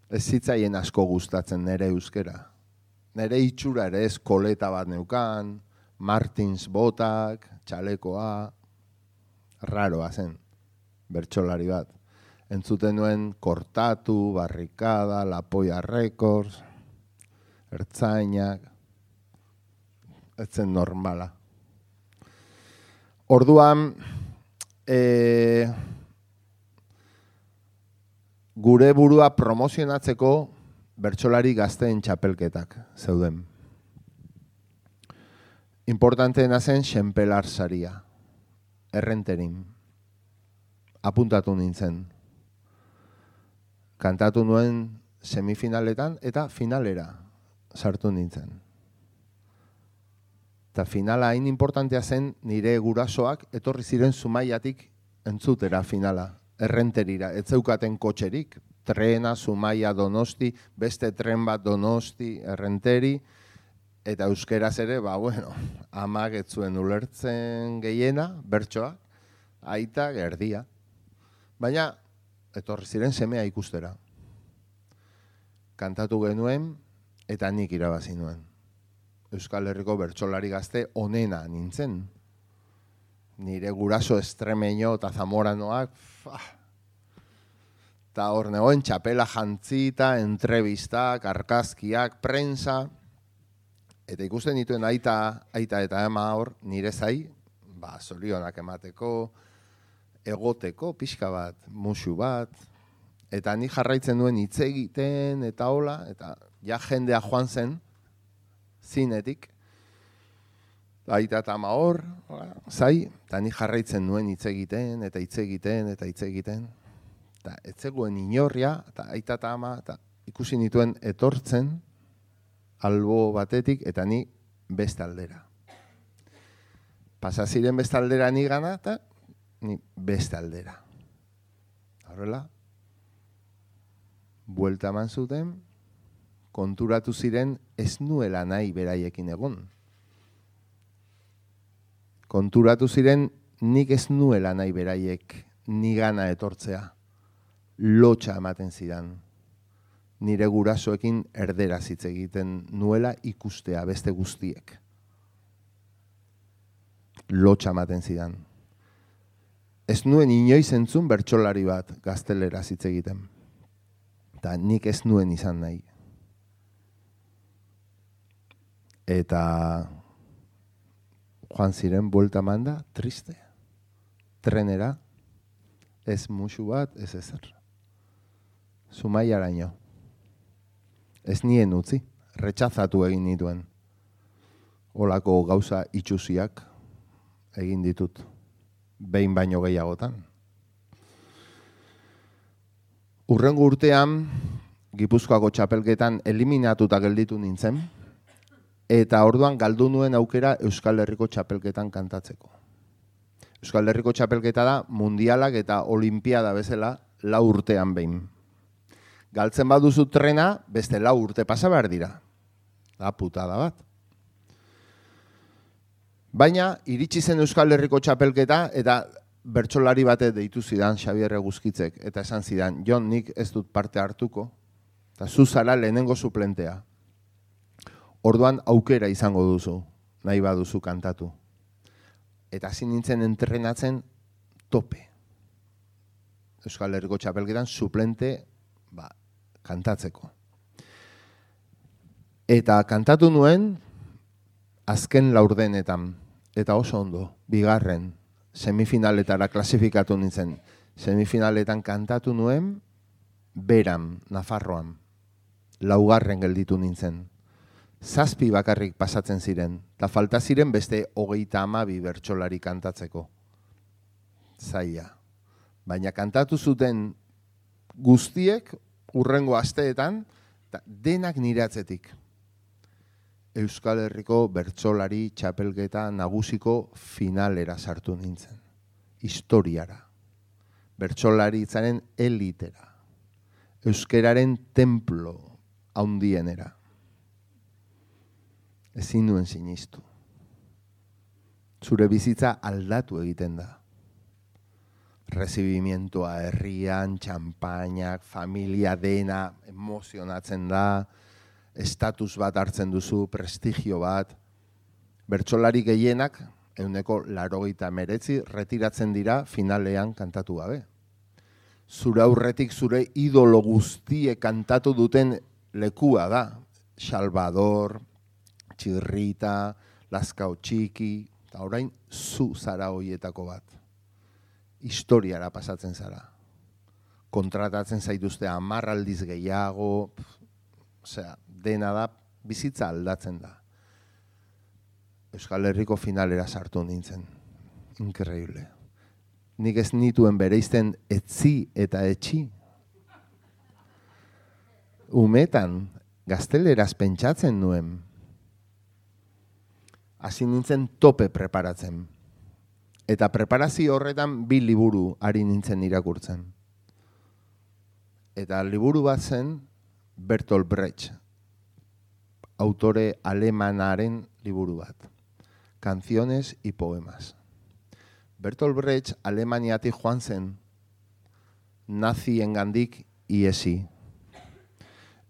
Ez zitzaien asko gustatzen nere euskera. Nere itxura ere ez koleta bat neukan, Martins botak, txalekoa, raroa zen, bertsolari bat. Entzuten nuen Kortatu, Barrikada, La Polla Records, Ertzainak, ez zen normala. Orduan, gure burua promozionatzeko bertsolari gazteen txapelketak zeuden. Importanteena zen Xenpelar saria, Errenterin. Apuntatu nintzen. Kantatu nuen semifinaletan eta finalera sartu nintzen. Eta finala hain importantea zen nire gurasoak etorri ziren Zumaiatik entzutera finala, Errenterira. Ez zeukaten kotxerik, trena, Zumaia, Donosti, beste tren bat Donosti, Errenteri, eta euskeraz ere, amak ez zuen ulertzen gehiena, bertsoa, aita gerdia. Baina, etorri ziren semea ikustera. Kantatu genuen, eta nik irabazi nuen. Euskal Herriko bertsolari gazte onena nintzen. Nire guraso Estremeño eta Zamoranoak, eta hor negoen txapela jantzita, entrevistak, argazkiak, prensa, eta ikusten dituen aita eta ama hor, nire zai, zorionak emateko, egoteko, pixka bat, musu bat, eta ni jarraitzen duen hitz egiten, eta hola, eta ja jendea joan zen, zinetik, aita eta ama hor, zai, eta ni jarraitzen nuen hitz egiten, eta hitz egiten, eta hitz egiten, eta ez zegoen inorria, eta aita eta ama, eta ikusi nituen etortzen, albo batetik, eta ni beste aldera. Pasa ziren beste aldera ni gana, eta ni beste aldera. Horrela, buelta eman zuten, konturatu ziren ez nuela nahi beraiekin egon. Konturatu ziren nik ez nuela nahi beraiek ni gana etortzea. Lotxa ematen zidan. Nire gurasoekin erderaz hitz egiten nuela ikustea beste guztiek. Lotxa ematen zidan. Ez nuen inoiz entzun bertsolari bat gazteleraz hitz egiten. Eta nik ez nuen izan nahi. Eta joan ziren buelta manda, triste. Trenera, ez musu bat, ez ezer. Zumaiaraino. Ez nien utzi, retxazatu egin nituen. Olako gauza itxusiak egin ditut. Behin baino gehiagotan. Hurrengo urtean, Gipuzkoako txapelketan eliminatuta gelditu nintzen, eta orduan galdu nuen aukera Euskal Herriko txapelketan kantatzeko. Euskal Herriko txapelketa da mundialak eta olimpiada bezala 4 urtean behin. Galtzen baduzu trena, beste 4 urte pasa behar dira. Da putada bat. Baina, iritsi zen Euskal Herriko txapelketa eta bertsolari bate deitu zidan Xabier Eguzkitzek, eta esan zidan, Jon, nik ez dut parte hartuko, eta zu zara lehenengo suplentea. Orduan aukera izango duzu, nahi baduzu kantatu. Eta hasi nintzen entrenatzen tope. Euskal Herriko txapelketan suplente kantatzeko. Eta kantatu nuen azken laurdenetan, eta oso ondo, bigarren, semifinaletara klasifikatu nintzen. Semifinaletan kantatu nuen, Beran, Nafarroan, 4. gelditu nintzen. 7 bakarrik pasatzen ziren, eta falta ziren beste 32 bertsolari kantatzeko. Zaila. Baina kantatu zuten guztiek, hurrengo asteetan, denak nire atzetik. Euskal Herriko bertsolari txapelketa nagusiko finalera sartu nintzen. Historiara. Bertsolaritzaren elitera. Euskeraren templo handienera. Ezin nuen sinistu. zure bizitza aldatu egiten da. Recibimientoa herrian, txampainak, familia dena, emozionatzen da, estatus bat hartzen duzu, prestigio bat. Bertsolari gehienak, 89%, retiratzen dira finalean kantatu gabe. Zure aurretik zure idolo guztie kantatu duten lekua da. Salvador, Txirrita, Lazkao Txiki, eta orain zu zara hoietako bat. Historiara pasatzen zara. Kontratatzen zaituzte 10 aldiz gehiago, dena da, bizitza aldatzen da. Euskal Herriko finalera sartu nintzen. Increíble. Nik ez nituen bereizten etzi eta etxi. Umetan, gazteleraz pentsatzen nuen. Hasi nintzen tope preparatzen. Eta preparazio horretan 2 liburu ari nintzen irakurtzen. Eta liburu bat zen Bertolt Brecht, autore alemanaren liburu bat. Canciones y poemas. Bertolt Brecht Alemaniatik joan zen naziengandik ihesi.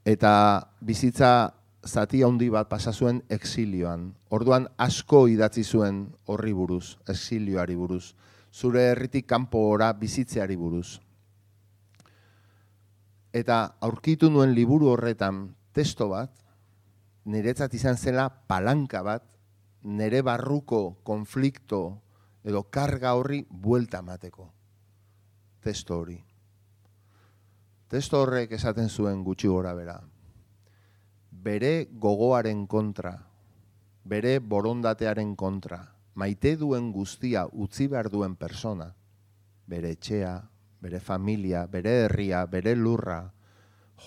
Eta bizitza zati handi bat pasa zuen exilioan. Orduan asko idatzi zuen horri buruz, exilioari buruz. Zure herritik kanpora bizitzeari buruz. Eta aurkitu nuen liburu horretan testo bat, niretzat izan zela palanka bat, nire barruko konflikto edo karga horri buelta emateko. Testo hori. Testo horrek esaten zuen gutxi gora bera. Bere gogoaren kontra, bere borondatearen kontra, maite duen guztia utzi behar duen persona, bere etxea, bere familia, bere herria, bere lurra,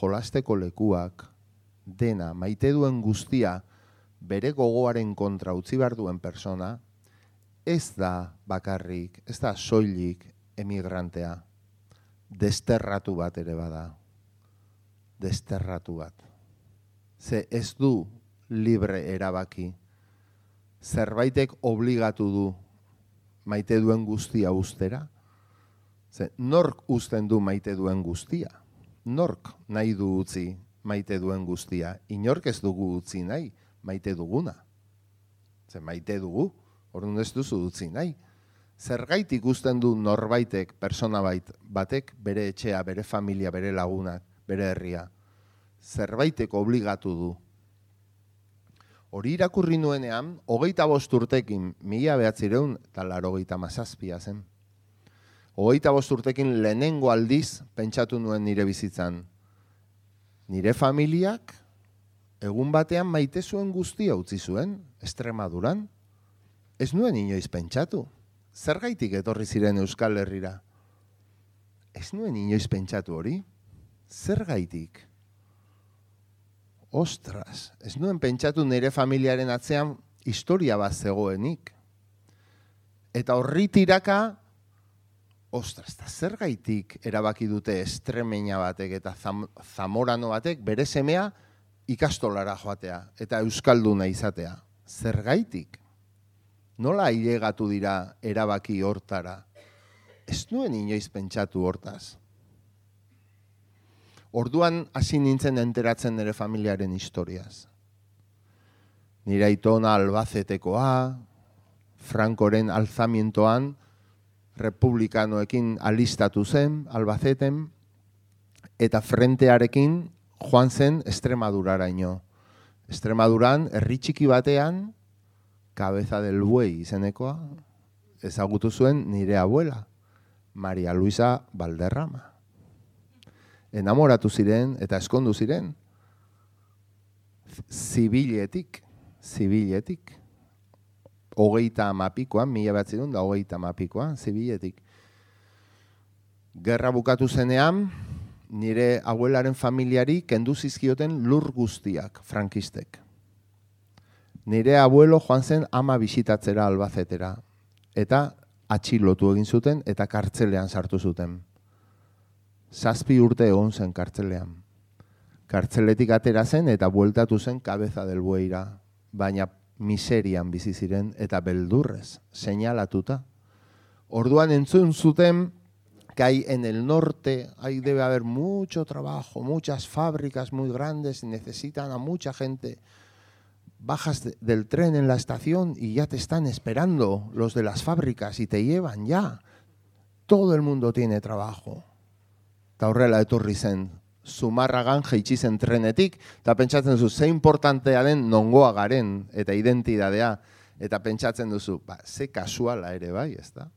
jolasteko lekuak, dena, maite duen guztia, bere gogoaren kontra utzi behar duen persona, ez da bakarrik, ez da soilik emigrantea, desterratu bat ere bada. Desterratu bat. Ze ez du libre erabaki. Zerbaitek obligatu du maite duen guztia ustera. Ze nork uzten du maite duen guztia? Nork nahi du utzi maite duen guztia? Inork ez dugu utzi nahi maite duguna. Ze maite dugu, orduan ez duzu utzi nahi. Zergaitik uzten du norbaitek, persona batek, bere etxea, bere familia, bere lagunak, bere herria. Zerbaitek obligatu du. Hori irakurri nuenean, 25 urtekin, 1987 zen. 25 urtekin lehenengo aldiz pentsatu nuen nire bizitzan. Nire familiak egun batean maite zuen guztia utzi zuen, Extremaduran. Ez nuen inoiz pentsatu. Zergaitik etorri ziren Euskal Herrira? Ez nuen inoiz pentsatu hori. Zergaitik? Ostras, ez nuen pentsatu nire familiaren atzean historia bat zegoenik. Eta horri tiraka, ostras, eta zergaitik erabaki dute Estremeña batek eta Zamorano batek bere semea ikastolara joatea eta euskalduna izatea. Zergaitik? Nola ailegatu dira erabaki hortara? Ez nuen inoiz pentsatu hortaz. Orduan hasi nintzen enteratzen nire familiaren historiaz. Nire aitona Albacetekoa, Francoren alzamientoan, republikanoekin alistatu zen, Albaceten, eta frentearekin joan zen Extremaduraraino. Extremaduran, herri txiki batean, Cabeza del Buey izenekoa, ezagutu zuen nire abuela, Maria Luisa Valderrama. Enamoratu ziren eta eskondu ziren. Zibiletik. 30 1930 zibiletik. Gerra bukatu zenean, nire abuelaren familiari kendu zizkioten lur guztiak, frankistek. Nire abuelo joan zen ama bisitatzera Albacetera. Eta atxilotu egin zuten eta kartzelean sartu zuten. 7 urte egon zen kartzelean. Kartzeletik atera zen eta bueltatu zen Cabeza del Bueyra. Baina miserian bizi ziren eta beldurrez, seinalatuta. Orduan entzun zuten que hay en el norte, ahí debe haber mucho trabajo, muchas fábricas muy grandes y necesitan a mucha gente. Bajas del tren en la estación y ya te están esperando los de las fábricas y te llevan ya. Todo el mundo tiene trabajo. Eta horrela etorri zen, Zumarragan jaitsi zen trenetik, eta pentsatzen duzu, ze importantea den nongoa garen, eta identidadea, eta pentsatzen duzu, ze kasuala ere bai, ez da?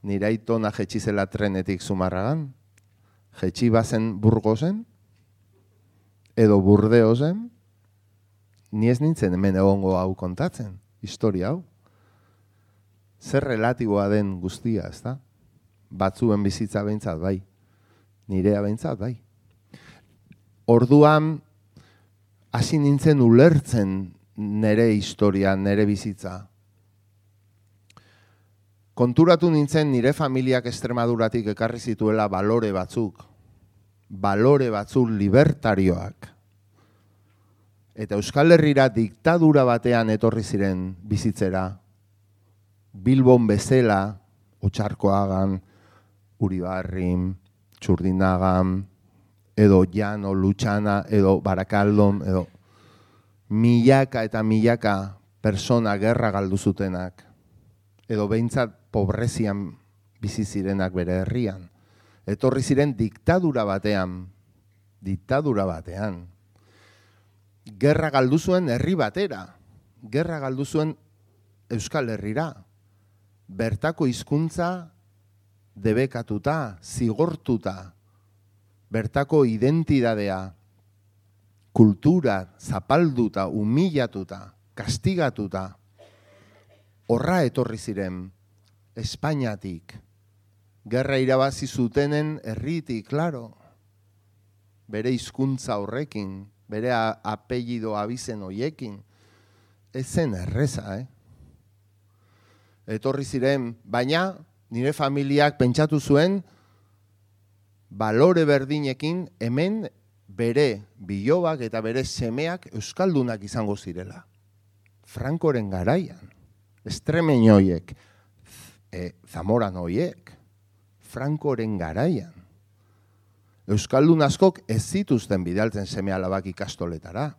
Nire aitona jaitsi zela trenetik Zumarragan, jaitsi bazen Burgosen, edo Burdeosen, ni ez nintzen hemen egongo hau kontatzen, historia hau. Zer relatiboa den guztia, ez da? Batzuen bizitza behintzat bai, nirea behintzat bai. Orduan, hasi nintzen ulertzen nire historia, nire bizitza. Konturatu nintzen nire familiak Extremaduratik ekarri zituela balore batzuk libertarioak. Eta Euskal Herrira diktadura batean etorri ziren bizitzera. Bilbon bezala, Otxarkoagan, Uribarrin, Txurdinagan, edo Llano, Lutxana, edo Barakaldon, edo milaka eta milaka persona gerra galdu zutenak, edo behintzat pobrezian bizi zirenak bere herrian. Etorri ziren diktadura batean. Gerra galdu zuen herri batera, gerra galdu zuen Euskal Herrira. Bertako hizkuntza debekatuta, zigortuta, bertako identidadea, kultura zapalduta, humillatuta, kastigatuta, horra etorri ziren Espainiatik. Gerra irabazi zutenen herritik, claro, bere hizkuntza horrekin, bere apellido abizen hoiekin, ez zen erreza, Etorri ziren, baina nire familiak pentsatu zuen balore berdinekin hemen bere bilobak eta bere semeak euskaldunak izango zirela. Frankoren garaian, Estremeño hoiek, Zamoran hoiek, Frankoren garaian. Euskaldun askok ez zituzten bidaltzen seme alabak ikastoletara.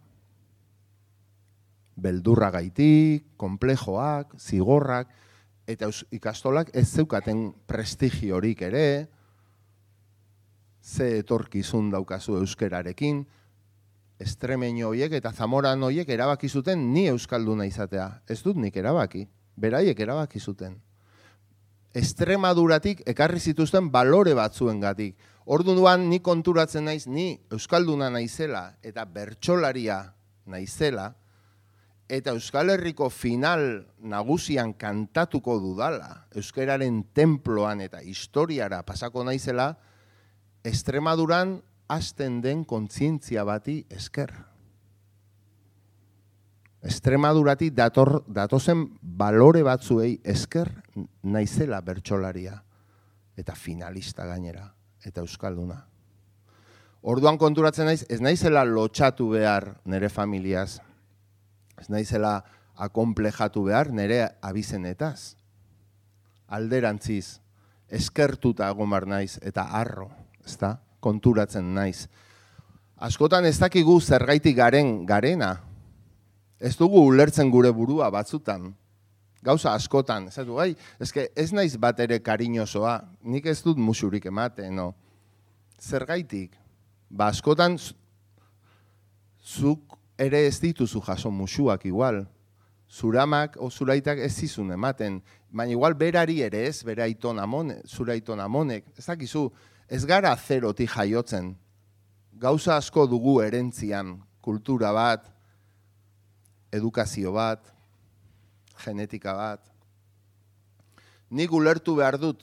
Beldurragaitik, konplejoak, zigorrak, eta ikastolak ez zeukaten prestigiorik ere, ze etorkizun daukazu euskerarekin, Estremeño hoiek eta Zamoran hoiek erabaki zuten ni euskalduna izatea. Ez dut nik erabaki, beraiek erabaki zuten. Extremaduratik ekarri zituzten balore batzuengatik. Orduan ni konturatzen naiz, ni euskalduna naizela eta bertsolaria naizela, eta Euskal Herriko final nagusian kantatuko dudala, euskararen tenploan eta historiara pasako naizela, Extremaduran hasten den kontzientzia bati esker. Extremaduratik datozen balore batzuei esker naizela bertsolaria, eta finalista gainera, eta euskalduna. Orduan konturatzen naiz, ez naizela lotxatu behar nire familiaz, ez naizela akonplejatu behar nire abizenetaz. Alderantziz, eskertuta egomar naiz eta arro, ezta, konturatzen naiz. Askotan ez dakigu zergaitik garena. Ez dugu ulertzen gure burua batzutan. Gauza askotan, ez du, ez naiz bat ere kariñosoa, nik ez dut musurik ematen, no? Zergaitik? Askotan zuk ere ez dituzu jaso musuak igual. Zuramak o zuraitak ez zizun ematen, baina igual berari ere ez, bere aiton amonek, zure aiton amonek. Ez dakizu, ez gara zerotik jaiotzen. Gauza asko dugu erentzian, kultura bat, edukazio bat, genetika bat. Nik ulertu behar dut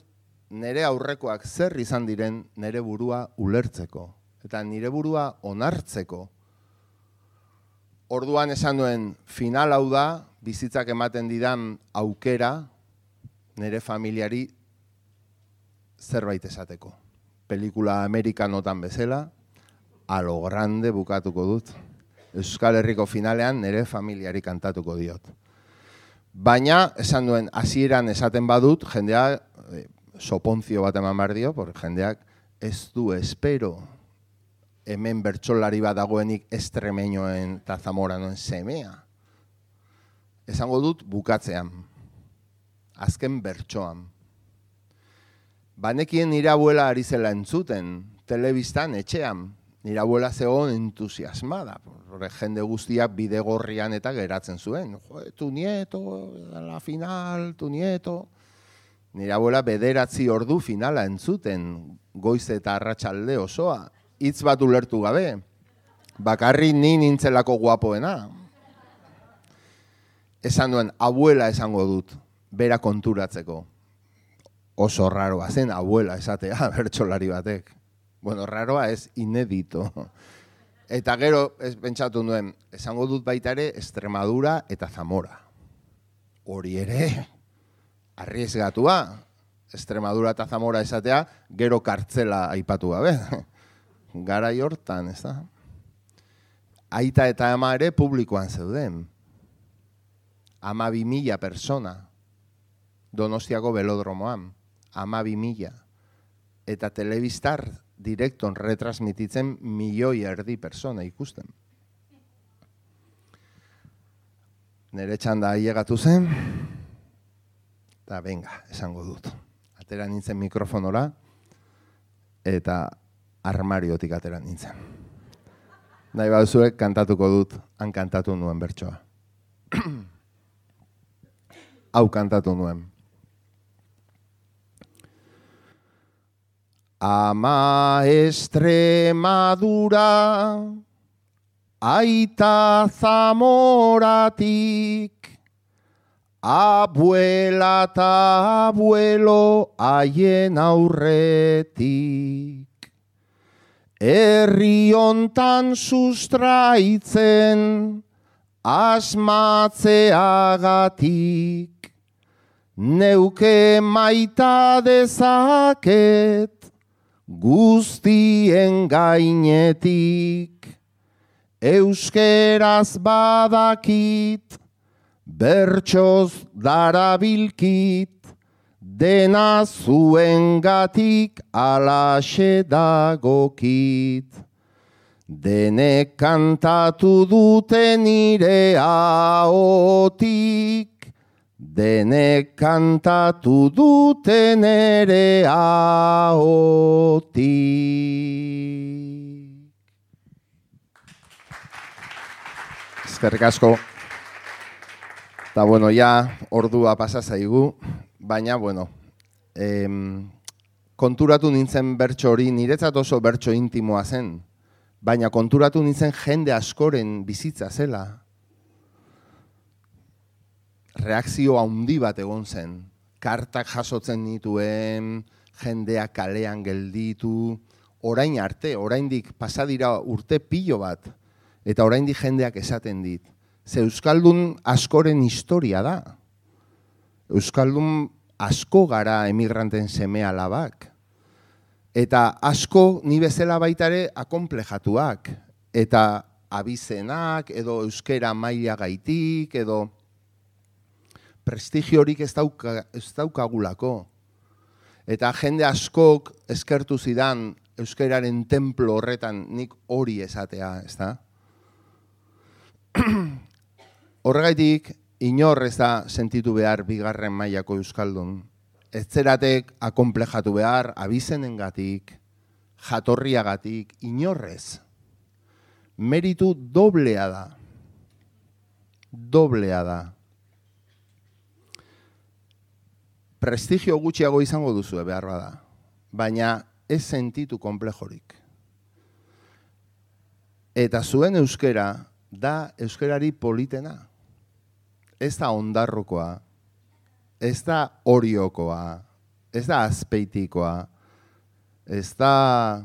nire aurrekoak zer izan diren nire burua ulertzeko, eta nire burua onartzeko. Orduan esan duen, final hau da, bizitzak ematen didan aukera, nire familiari zerbait esateko. Pelikula amerikanotan bezala, a lo grande bukatuko dut. Euskal Herriko finalean nire familiari kantatuko diot. Baina, esan duen, hasieran esaten badut, jendeak, soponzio bat eman behar dio, jendeak ez du espero hemen bertsolari bat dagoenik Estremeñoen eta Zamoranoen semea. Esango dut bukatzean, azken bertsoan. Banekien nire abuela ari zela entzuten, telebistan, etxean, nire abuela zegoen entusiasmada. Jende guztiak bidegorrian eta geratzen zuen. Tu nieto, la final, tu nieto. Nire abuela 9 ordu finala entzuten, goiz eta arratsalde osoa. Hitz bat ulertu gabe, bakarri ni nintzelako guapoena. Esan duen, abuela esango dut, bera konturatzeko. Oso raroa zen abuela esatea bertsolari batek. Bueno, raroa ez inedito. Eta gero, pentsatu nuen, esango dut baita ere Extremadura eta Zamora. Hori ere, arriesgatua. Extremadura eta Zamora esatea, gero kartzela aipatu gabe. Garai hortan, ez da? Aita eta ama ere publikoan zeuden. 12.000 persona. Donostiako belodromoan. 12.000. Eta telebistar direkton retransmititzen 1,5 milioi persona ikusten. Nere txanda ailegatu zen, eta venga, esango dut. Atera nintzen mikrofonora, eta armariotik atera nintzen. Nahi baduzuek kantatuko dut, han kantatu nuen bertsoa. Hau kantatu nuen. Ama Extremadura, aita Zamoratik, abuela eta abuelo haien aurretik. Herri hontan sustraitzen asmatzeagatik, neuke maita dezaket, guztien gainetik, euskeraz badakit, bertsoz darabilkit, dena zuengatik alaxe dagokit. Denek kantatu dute nire ahotik, denek kantatu dute nere ahotik. Eskerrik asko. Eta bueno, ja ordua pasa zaigu, baina bueno, konturatu nintzen bertso hori, niretzat oso bertso intimoa zen, baina konturatu nintzen jende askoren bizitza zela. Reakzio handi bat egon zen. Kartak jasotzen nituen, jendeak kalean gelditu, orain arte, oraindik pasadira urte pilo bat, eta oraindik jendeak esaten dit. Ze euskaldun askoren historia da. Euskaldun asko gara emigranten seme alabak. Eta asko ni bezala baitare akonplejatuak. Eta abizenak, edo euskera maila gaitik, edo prestigiorik ez daukagulako. Eta jende askok eskertu zidan euskeraren templo horretan nik hori esatea, ez da? Horregaitik, inor ez da sentitu behar bigarren mailako euskaldun. Ez zeratek akonplejatu behar abizenengatik, jatorriagatik, inorrez. Meritu doblea da. Doblea da. Prestigio gutxiago izango duzu behar bada, baina ez sentitu konplejorik. Eta zuen euskera da euskerari politena. Ez da ondarrokoa, ez da oriokoa, ez da azpeitikoa, ez da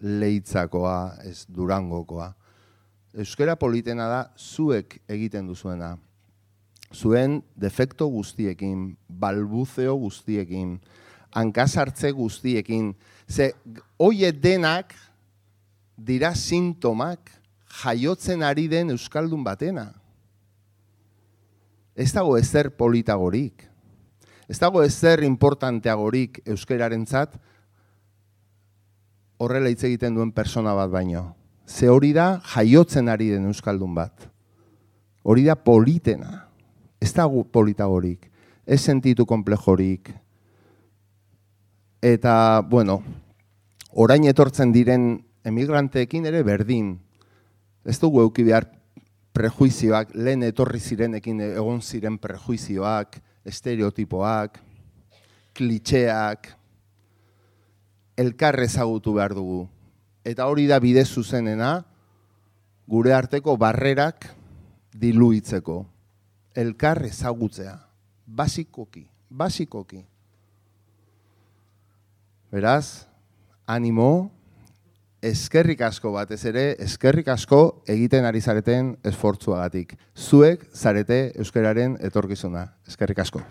leitzakoa, ez durangokoa. Euskera politena da zuek egiten duzuena. Zuen defekto guztiekin, balbuzeo guztiekin, hankasartze guztiekin. Ze, hoie denak dira sintomak jaiotzen ari den euskaldun batena. Ez dago ezer politagorik. Ez dago ezer importanteagorik euskararentzat horrela hitz egiten duen persona bat baino. Ze hori da jaiotzen ari den euskaldun bat. Hori da politena. Ez dago politagorik. Ez sentitu konplejorik. Eta, bueno, orain etortzen diren emigranteekin ere berdin. Ez dugu eduki behar prejuizioak, lehen etorri zirenekin egon ziren prejuizioak, estereotipoak, klitxeak, elkar ezagutu behar dugu. Eta hori da bide zuzenena, gure arteko barrerak diluitzeko. Elkar ezagutzea. Basikoki. Beraz, animo, eskerrik asko batez ere, eskerrik asko egiten ari zareten esfortzuagatik. Zuek zarete euskararen etorkizuna. Eskerrik asko.